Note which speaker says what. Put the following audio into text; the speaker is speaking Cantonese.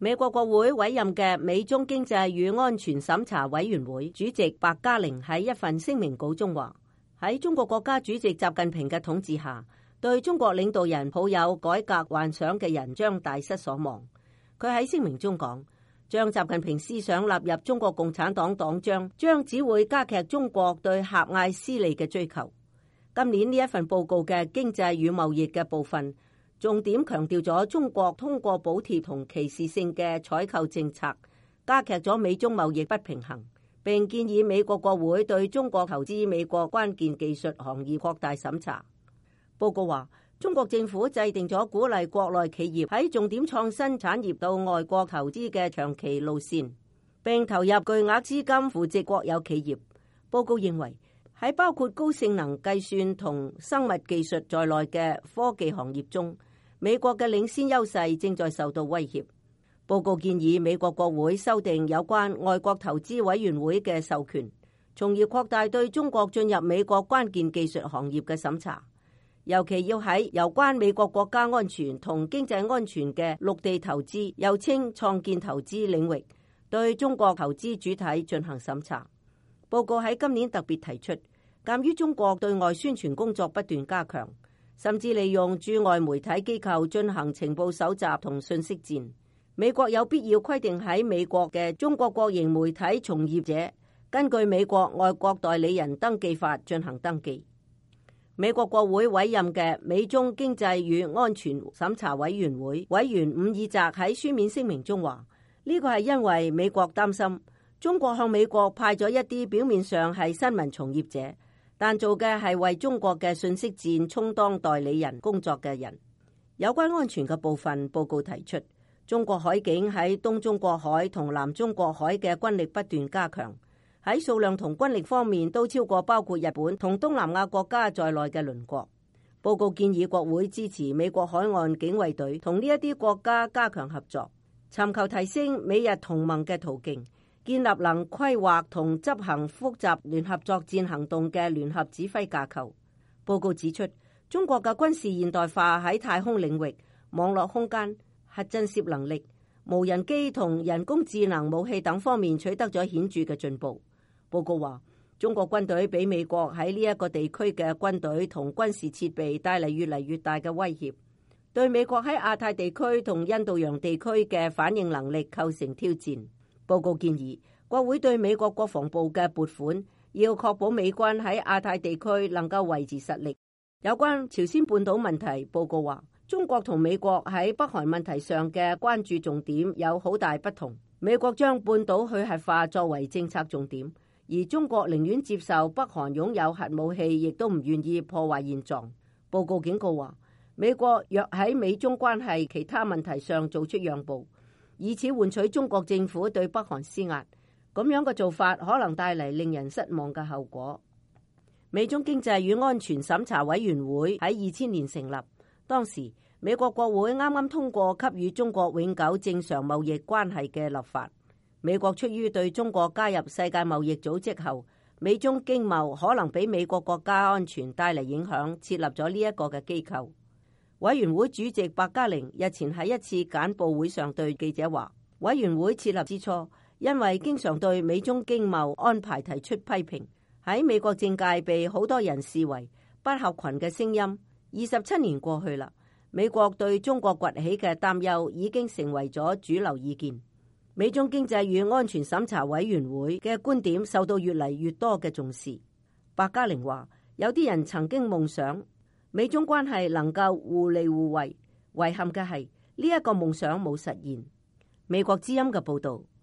Speaker 1: 美國國會委任嘅美中經濟與安全審查委員會主席白嘉玲喺一份聲明稿中話：喺中國國家主席習近平嘅統治下，對中國領導人抱有改革幻想嘅人將大失所望。佢喺聲明中講：將習近平思想納入中國共產黨黨章，將只會加劇中國對狹隘私利嘅追求。今年呢一份報告嘅經濟與貿易嘅部分，重點強調咗中國通過補貼同歧視性嘅採購政策，加劇咗美中貿易不平衡，並建議美國國會對中國投資美國關鍵技術行業擴大審查。報告話，中國政府制定咗鼓勵國內企業喺重點創新產業到外國投資嘅長期路線，並投入巨額資金扶植國有企業。報告認為，喺包括高性能計算同生物技術在內嘅科技行業中，美國嘅領先優勢正在受到威脅。報告建議美國國會修訂有關外國投資委員會嘅授權，從而擴大對中國進入美國關鍵技術行業嘅審查，尤其要喺有關美國國家安全同經濟安全嘅陸地投資，又稱創建投資領域，對中國投資主體進行審查。報告喺今年特別提出，鑒於中國對外宣傳工作不斷加強，甚至利用駐外媒體機構進行情報搜集同信息戰，美國有必要規定喺美國嘅中國國營媒體從業者根據美國外國代理人登記法進行登記。美國國會委任嘅美中經濟與安全審查委員會委員伍爾澤喺書面聲明中話：呢個係因為美國擔心中國向美國派咗一啲表面上係新聞從業者，但做嘅係為中國嘅信息戰充當代理人工作嘅人。有關安全嘅部分，報告提出，中國海警喺東中國海同南中國海嘅軍力不斷加強，喺數量同軍力方面都超過包括日本同東南亞國家在內嘅鄰國。報告建議國會支持美國海岸警衛隊同呢一啲國家加強合作，尋求提升美日同盟嘅途徑，建立能規劃同執行複雜聯合作戰行動嘅聯合指揮架構。報告指出，中國嘅軍事現代化喺太空領域、網絡空間、核震懾能力、無人機同人工智能武器等方面取得咗顯著嘅進步。報告話，中國軍隊俾美國喺呢一個地區嘅軍隊同軍事設備帶嚟越嚟越大嘅威脅，對美國喺亞太地區同印度洋地區嘅反應能力構成挑戰。報告建議國會對美國國防部嘅撥款要確保美軍喺亞太地區能夠維持實力。有關朝鮮半島問題，報告話中國同美國喺北韓問題上嘅關注重點有好大不同。美國將半島去核化作為政策重點，而中國寧願接受北韓擁有核武器，亦都唔願意破壞現狀。報告警告話，美國若喺美中關係其他問題上做出讓步，以此換取中國政府對北韓施壓，咁樣嘅做法可能帶嚟令人失望嘅後果。美中經濟與安全審查委員會喺2000年成立，當時美國國會啱啱通過給予中國永久正常貿易關係嘅立法。美國出於對中國加入世界貿易組織後，美中經貿可能俾美國國家安全帶嚟影響，設立咗呢一個嘅機構。委員會主席白嘉玲日前喺一次簡報會上對記者話，委員會設立之初，因為經常對美中經貿安排提出批評，喺美國政界被好多人視為不合群嘅聲音。27年過去啦，美國對中國崛起嘅擔憂已經成為咗主流意見。美中經濟與安全審查委員會嘅觀點受到越嚟越多嘅重視。白嘉玲話，有啲人曾經夢想美中關係能夠互利互惠，遺憾嘅係呢一個夢想冇實現。美國之音嘅報道。